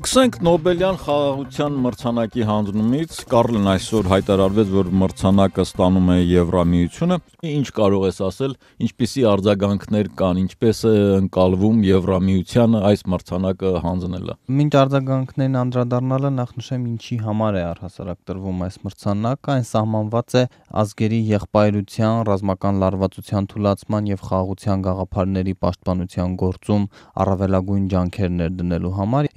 Սկսենք Նոբելյան խաղաղության մրցանակի հանձնումից, Կարլն այսօր հայտարարվեց, որ մրցանակը ստանում է Եվրամիությունը, ինչ կարող ես ասել, ինչպիսի արձագանքներ կան, ինչպես է ընկալվում Եվրամիությանը այս մրցանակը հանձնելը։ Մինչ արձագանքներին անդրադառնալը նախ նշեմ ինչի համար է առհասարակ տրվում այս մրցանակը, այն սահմանված է ազգերի եղբայրության, ռազմական լարվածության թուլացման եւ խաղաղության գաղափարների պաշտպանության գործում առավելագույն ջանքեր ներդնելու համար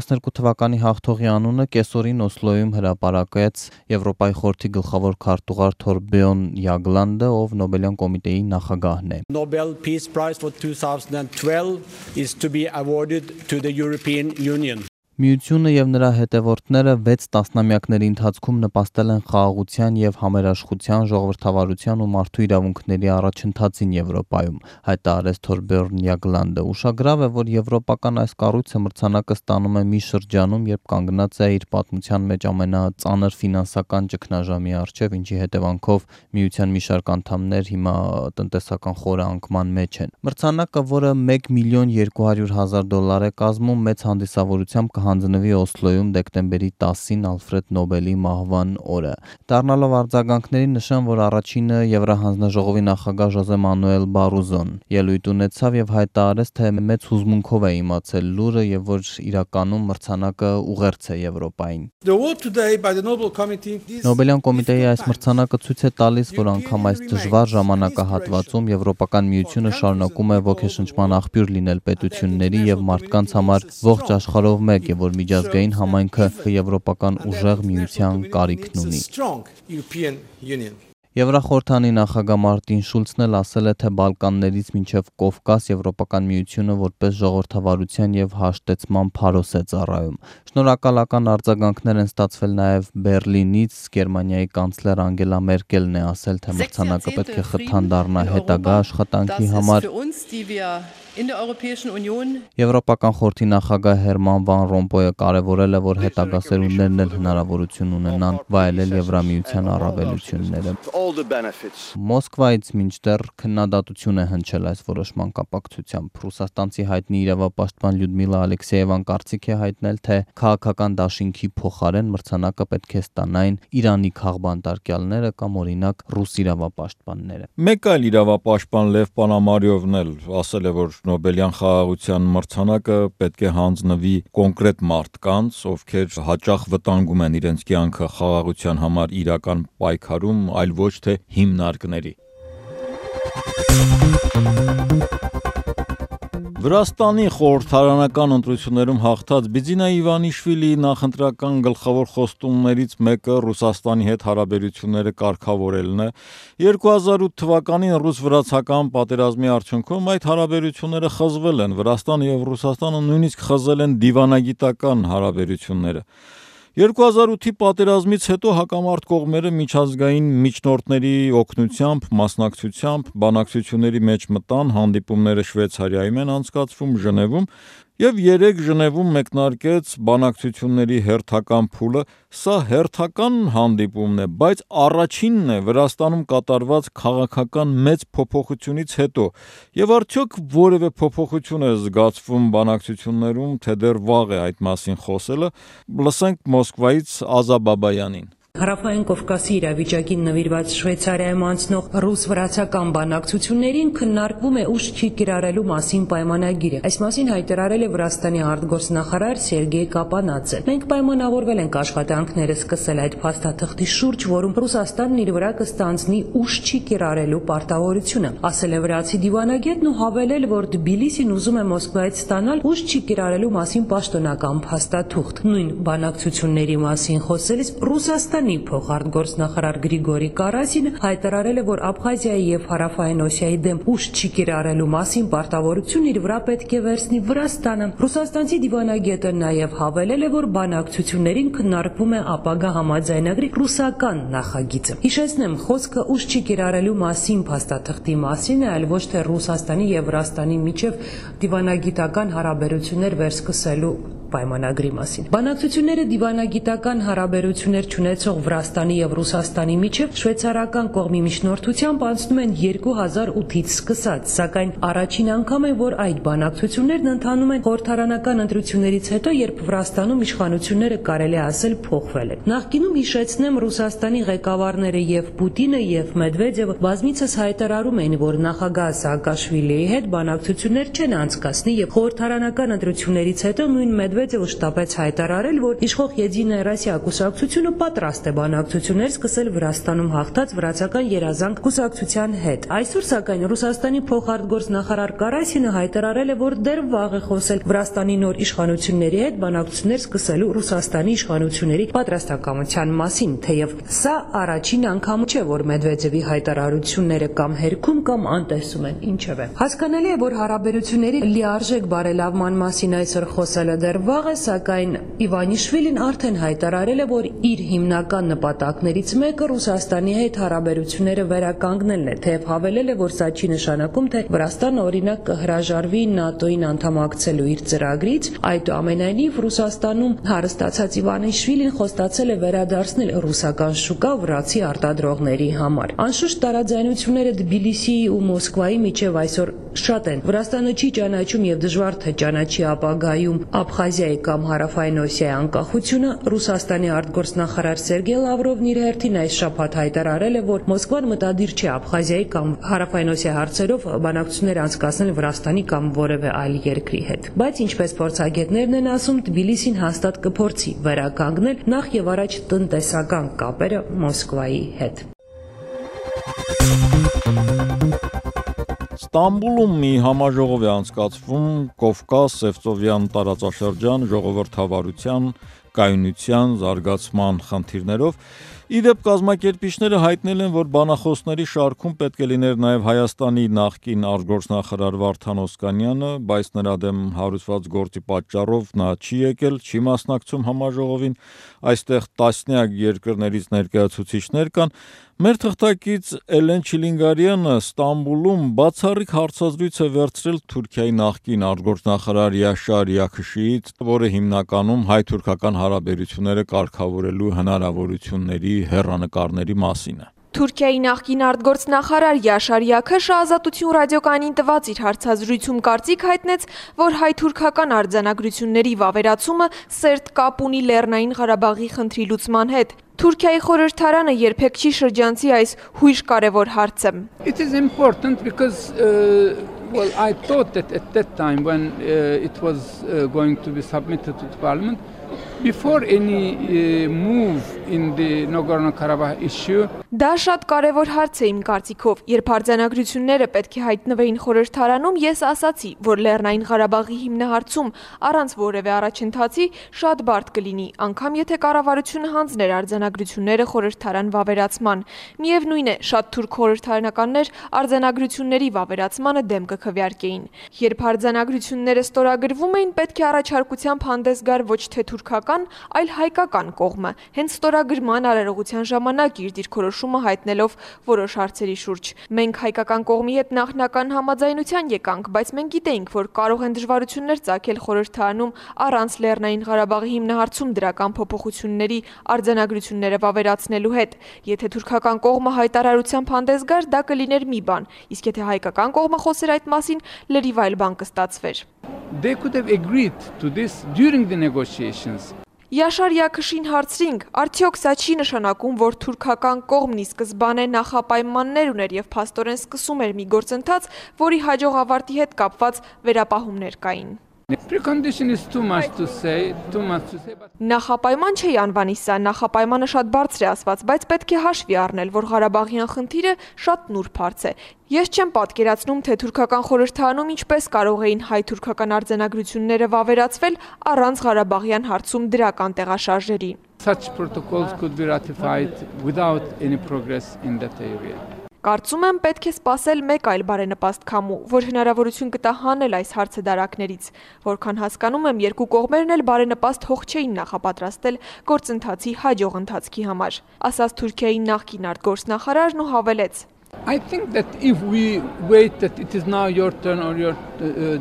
2012 թվականի հաղթողի անունը կեսօրին Օսլոյում հրապարակեց Եվրոպայի խորհրդի գլխավոր քարտուղար Թորբեոն Յագլանդը, ով Նոբելյան կոմիտեի նախագահն է։ Nobel Peace Prize for 2012 is to be awarded to the European Union. Միությունը եւ նրա հետևորդները 6 տասնամյակների ընթացքում նպաստել են խաղաղության եւ համերաշխության, ժողովրդավարության ու մարդու իրավունքների առաջընթացին Եվրոպայում, հայտարարեց Թորբերն Յագլանդը։ Ուշագրավ է, որ եվրոպական այս կառույցը մրցանակը ստանում է մի շրջանում, երբ կանգնած է իր պատմության մեջ ամենածանր ֆինանսական ճգնաժամի առջև, ինչի հետևանքով միության մի շարք անդամներ հիմա տնտեսական խորը անկման մեջ են։ Մրցանակը, որը $1,200,000 է կազմում, մեծ հանդիսավորությամբ հանձնվի Օսլոյում դեկտեմբերի 10-ին Ալֆրեդ Նոբելի մահվան օրը։ Դառնալով արձագանքների նշան, որ առաջինը Եվրահանձնաժողովի նախագահ Ժոզե Մանուել Բարոզոն ելույթ ունեցավ եւ հայտարարեց, թե մեծ հուզմունքով է իմացել լուրը եւ որ իրականում մրցանակը ուղերձ է Եվրոպային։ Նոբելյան կոմիտեի այս մրցանակը ցույց է տալիս, որ անգամ այս դժվար ժամանակահատվածում Եվրոպական միությունը շարունակում է ոգեշնչման աղբյուր լինել պետությունների եւ մարդկանց համար ողջ աշխարհով մեկ, որ միջազգային համայնքը եվրոպական ուժեղ միության կարիքն ունի։ Եվրախորհրդանի նախագահ Մարտին Շուլցն էլ ասել է, թե Բալկաններից մինչև Կովկաս Եվրոպական միությունը որպես ժողովրդավարության եւ հաշտեցման փարոս է ծառայում։ Շնորհակալական արձագանքներ են ստացվել նաեւ Բերլինից, Գերմանիայի կանցլեր Անգելա Մերկելն է ասել, թե մրցանակը պետք է խթան դառնա հետագա աշխատանքի համար։ Եվրոպական խորհրդի նախագահ Հերման Վան Ռոմպոյը կարևորել է, որ հետագա սերունդներն էլ հնարավորություն ունենան վայելել Եվրամիության առավելությունները։ Մոսկվայից մինչդեռ քննադատություն է հնչել այս որոշման կապակցությամբ։ Ռուսաստանցի հայտնի իրավապաշտպան Լյուդմիլա Ալեքսեևան կարծիք է հայտնել, թե քաղաքական դաշինքի փոխարեն մրցանակը պետք է ստանային Իրանի քաղբանտարկյալները կամ օրինակ ռուս իրավապաշտպանները։ Մեկ այլ իրավապաշտպան Լև Պանամարիովն էլ ասել է, որ Նոբելյան խաղաղության մրցանակը պետք է հանձնվի կոնկրետ մարդկանց, ովքեր հաճախ վտանգում են իրենց կյանքը խաղաղության համար իրական պայքարում, այլ ոչ թե հիմնարկների։ Վրաստանի խորհրդարանական ընտրություններում հաղթած Բիձինա Իվանիշվիլիի նախընտրական գլխավոր խոստումներից մեկը Ռուսաստանի հետ հարաբերությունները կարգավորելն է։ 2008 թվականին ռուս-վրացական պատերազմի արդյունքում այդ հարաբերությունները խզվել են։ Վրաստանը եւ Ռուսաստանը նույնիսկ խզել են դիվանագիտական հարաբերությունները։ 2008-ի պատերազմից հետո հակամարտ կողմերը միջազգային միջնորդների օգնությամբ, մասնակցությամբ բանակցությունների մեջ մտան, հանդիպումները Շվեյցարիայում են անցկացվում, Ժնևում, եւ 3 Ժնևում մեկնարկեց բանակցությունների հերթական փուլը։ Սա հերթական հանդիպումն է, բայց առաջինն է Վրաստանում կատարված քաղաքական մեծ փոփոխությունից հետո։ Եվ արդյոք որևէ փոփոխություն է զգացվում բանակցություններում, թե դեռ վաղ է այդ մասին խոսելը։ Լսենք Մոսկվայից Ազա Բաբայանին։ Հարավային Կովկասի իրավիճակին նվիրված Շվեյցարիայում անցնող ռուս-վրացական բանակցություններին քննարկվում է ուժ չի կիրառելու մասին պայմանագիրը։ Այս մասին հայտարարել է Վրաստանի արտգործնախարար Սերգեյ Կապանաձը։ Մենք պայմանավորվել ենք աշխատանքները սկսել այդ փաստաթղթի շուրջ, որում Ռուսաստանն իր վրա կստանձնի ուժ չի կիրառելու պարտավորությունը, ասել է վրացի դիվանագետն ու հավելել, որ Թբիլիսին ուզում է Մոսկվայից ստանալ ուժ չի կիրառելու մասին պաշտոնական փաստաթուղթ։ Նույն բանակցությունների մասին խոսելիս Ռուսաստանի փոխարտգործնախարար Գրիգորի Կարասինը հայտարարել է, որ Աբխազիայի եւ Հարավային Օսիայի դեմ ուժ չի կիրառելու մասին պարտավորություն իր վրա պետք է վերցնի Վրաստանը։ Ռուսաստանցի դիվանագետը նաեւ հավելել է, որ բանակցություններին քննարկվում է ապագա համաձայնագրի ռուսական նախագիծը։ Հիշեցնեմ, խոսքը ուժ չի կիրառելու մասին փաստաթղթի մասին է, այլ ոչ թե Ռուսաստանի եւ Վրաստանի միջև դիվանագիտական հարաբերություններ վերսկսելու պայմանագրի մասին։ Բանակցությունները դիվանագիտական հարաբերություններ չունեցող Վրաստանի եւ Ռուսաստանի միջև շվեյցարական կողմի միջնորդությամբ անցնում են 2008-ից սկսած, սակայն առաջին անգամ է, որ այդ բանակցություններն ընթանում են խորհրդարանական ընտրություններից հետո, երբ Վրաստանում իշխանությունները կարելի ասել փոխվել են։ Նախկինում հիշեցնեմ, Ռուսաստանի ղեկավարները եւ Պուտինը եւ Մեդվեդևը բազմիցս հայտարարում էին, որ նախագահ Սաակաշվիլիի հետ բանակցություններ չեն անցկացնի եւ խորհրդարանական ընտրություններից հետո նույն Մեդվեդևը շտապեց հայտարարել, որ իշխող Եդինայա Ռոսիա կուսակցությունը պատրաստ է բանակցություններ սկսել Վրաստանում հաղթած վրացական երազանք կուսակցության հետ։ Այսօր սակայն Ռուսաստանի փոխարտգործնախարար Կարասինը հայտարարել է, որ դեռ վաղ է խոսել Վրաստանի նոր իշխանությունների հետ բանակցություններ սկսելու Ռուսաստանի իշխանությունների պատրաստակամության մասին, թեև սա առաջին անգամ չէ, որ Մեդվեդևի հայտարարությունները կամ հերքում կամ անտեսում են, ինչևէ։ Հասկանալի է, որ հարաբերությունների լիարժեք բարելավման մասին այսօր խոսելը դեռ վաղ է, սակայն Իվանիշվիլին արդեն հայտարարել է, որ իր հիմնական նպատակներից մեկը Ռուսաստանի հետ հարաբերությունները վերականգնելն է, թեև հավելել է, որ սա չի նշանակում, թե Վրաստանը օրինակ կհրաժարվի ՆԱՏՕ-ին անդամակցելու իր ծրագրից, այդուամենայնիվ Ռուսաստանում հարստացած Իվանիշվիլին խոստացել է վերադարձնել ռուսական շուկա վրացի արտադրողների համար։ Անշուշտ տարաձայնությունները Թբիլիսիի ու Մոսկվայի միջև այսօր շատ են։ Վրաստանը չի ճանաչում եւ դժվար թե ճանաչի ապագայում Աբխազիայի կամ Հարավային Օսիայի անկախությունը։ Ռուսաստանի արտգործնախարար Սերգեյ Լավրովն իր հերթին այս շաբաթ հայտարարել է, որ Մոսկվան մտադիր չէ Աբխազիայի կամ Հարավային Օսիայի հարցերով բանակցություններ անցկացնել Վրաստանի կամ որևէ այլ երկրի հետ։ Բայց ինչպես փորձագետներն են ասում, Թբիլիսին հաստատ կփորձի վերականգնել նախ եւ առաջ տնտեսական կապերը Մոսկվայի հետ։ Ստամբուլում մի համաժողով է անցկացվում Կովկաս Սևծովյան տարածաշրջան ժողովրդավարության, կայունության, զարգացման խնդիրներով։ Իդեպ կազմակերպիչները հայտնել են, որ բանախոսների շարքում պետք է լիներ նաև Հայաստանի նախկին արտգործնախարար Վարդան Օսկանյանը, բայց նրա դեմ հարուցված գործի պատճառով նա չի եկել, չի մասնակցում համաժողովին։ Այստեղ տասնյակ երկրներից ներկայացուցիչներ կան։ Մեր թղթակից Էլեն Չիլինգարյանը Ստամբուլում բացառիկ հարցազրույց է վերցրել Թուրքիայի նախկին արտգործնախարար Յաշար Յաքշիից, որը հիմնականում հայ-թուրքական հարաբերությունները կարգավորելու հնարավորությունների հեռանկարների մասին է։ Թուրքիայի նախկին արտգործնախարար Յաշար Յաքշը Ազատություն ռադիոկայանին տված իր հարցազրույցում կարծիք հայտնեց, որ հայ-թուրքական արձանագրությունների վավերացումը սերտ կապ ունի Լեռնային Ղարաբաղի խնդրի լուծման հետ։ Թուրքիայի խորհրդարանը երբեք չի շրջանցի այս հույժ կարևոր հարցը։ It is important because well I thought that at that time when it was going to be submitted to the parliament before any move in the Nagorno-Karabakh issue. Դա շատ կարևոր հարց է իմ կարծիքով, երբ արձանագրությունները պետք է հայտնվեին խորհրդարանում, ես ասացի, որ Լեռնային Ղարաբաղի հիմնահարցում առանց որևէ առաջընթացի շատ բարդ կլինի, անգամ եթե կառավարությունը հանձներ արձանագրությունները խորհրդարան վավերացման։ Միևնույն է, շատ թուրք խորհրդարանականներ արձանագրությունների վավերացմանը դեմ կքվեարկեին։ Երբ արձանագրությունները ստորագրվում էին, պետք է առաջարկությամբ հանդես գար ոչ թե թուրքական, այլ հայկական կողմը, հենց ստորագրման արարողության ժամանակ իր դիրքորոշումը հայտնելով որոշ հարցերի շուրջ։ Մենք հայկական կողմի հետ նախնական համաձայնության եկանք, բայց մենք գիտեինք, որ կարող են դժվարություններ ծագել խորհրդարանում առանց Լեռնային Ղարաբաղի հիմնահարցում դրական փոփոխությունների արձանագրությունները վավերացնելու հետ։ Եթե թուրքական կողմը հայտարարությամբ հանդես գար, դա կլիներ մի բան, իսկ եթե հայկական կողմը խոսեր այդ մասին, լրիվ այլ բան կստացվեր։ They could have agreed to this during the negotiations. Յաշար Յաքշին հարցրինք, արդյոք սա չի նշանակում, որ թուրքական կողմն ի սկզբանե նախապայմաններ ուներ եւ փաստորեն սկսում էր մի գործընթաց, որի հաջող ավարտի հետ կապված վերապահումներ կային։ Precondition is too much to say, but Նախապայման չի անվանի սա, նախապայմանը շատ բարձր է ասված, բայց պետք է հաշվի առնել, որ Ղարաբաղյան խնդիրը շատ նուրբ հարց է։ Ես չեմ պատկերացնում, թե թուրքական խորհրդարանում ինչպես կարող էին հայ-թուրքական արձանագրությունները վավերացվել առանց Ղարաբաղյան հարցում դրական տեղաշարժերի։ such protocols could be ratified without any progress in that area. Կարծում եմ պետք է սպասել մեկ այլ բարենպաստ քամու, որ հնարավորություն կտա հանել այս հարցը դարակներից, որքան հասկանում եմ, երկու կողմերն էլ բարենպաստ հող չէին նախապատրաստել գործընթացի հաջող ընթացքի համար, ասաց Թուրքիայի նախկին արտգործնախարարն ու հավելեց. I think that if we wait that it is now your turn or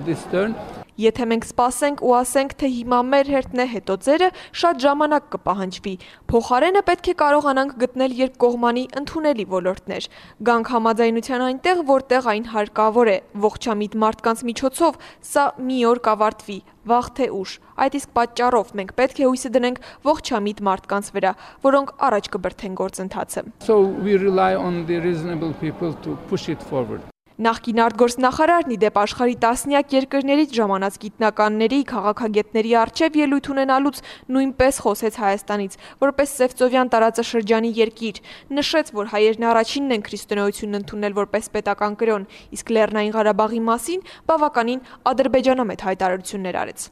this turn, Եթե մենք սպասենք ու ասենք, թե հիմա մեր հերթն է, հետո ձերը, շատ ժամանակ կպահանջվի։ Փոխարենը պետք է կարողանանք գտնել երկկողմանի ընդունելի ոլորտներ։ Գանք համաձայնության այնտեղ, որտեղ այն հարկավոր է։ Ողջամիտ մարդկանց միջոցով սա մի օր կավարտվի, վաղ թե ուշ։ Այդ իսկ պատճառով մենք պետք է հույսը դնենք ողջամիտ մարդկանց վրա, որոնք առաջ կբրդեն գործընթացը։ So we rely on the reasonable people to push it forward. Նախկին արտգործնախարարն ի դեպ աշխարհի տասնյակ երկրներից ժամանած գիտնականների, քաղաքագետների առջև ելույթ ունենալուց նույնպես խոսեց Հայաստանից, որպես Սևծովյան տարածաշրջանի երկիր, նշեց, որ հայերն առաջինն են քրիստոնեությունն ընդունել որպես պետական կրոն, իսկ Լեռնային Ղարաբաղի մասին բավականին ադրբեջանամետ հայտարարություններ արեց։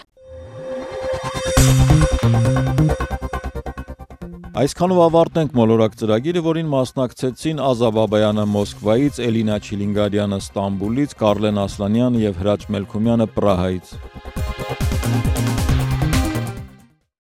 Այսքանով ավարտենք մոլորակ ծրագիրը, որին մասնակցեցին Ազա Բաբայանը Մոսկվայից, Էլինա Չիլինգարյանը Ստամբուլից, Կարլեն Ասլանյանը եւ Հրաչ Մելքումյանը Պրահայից։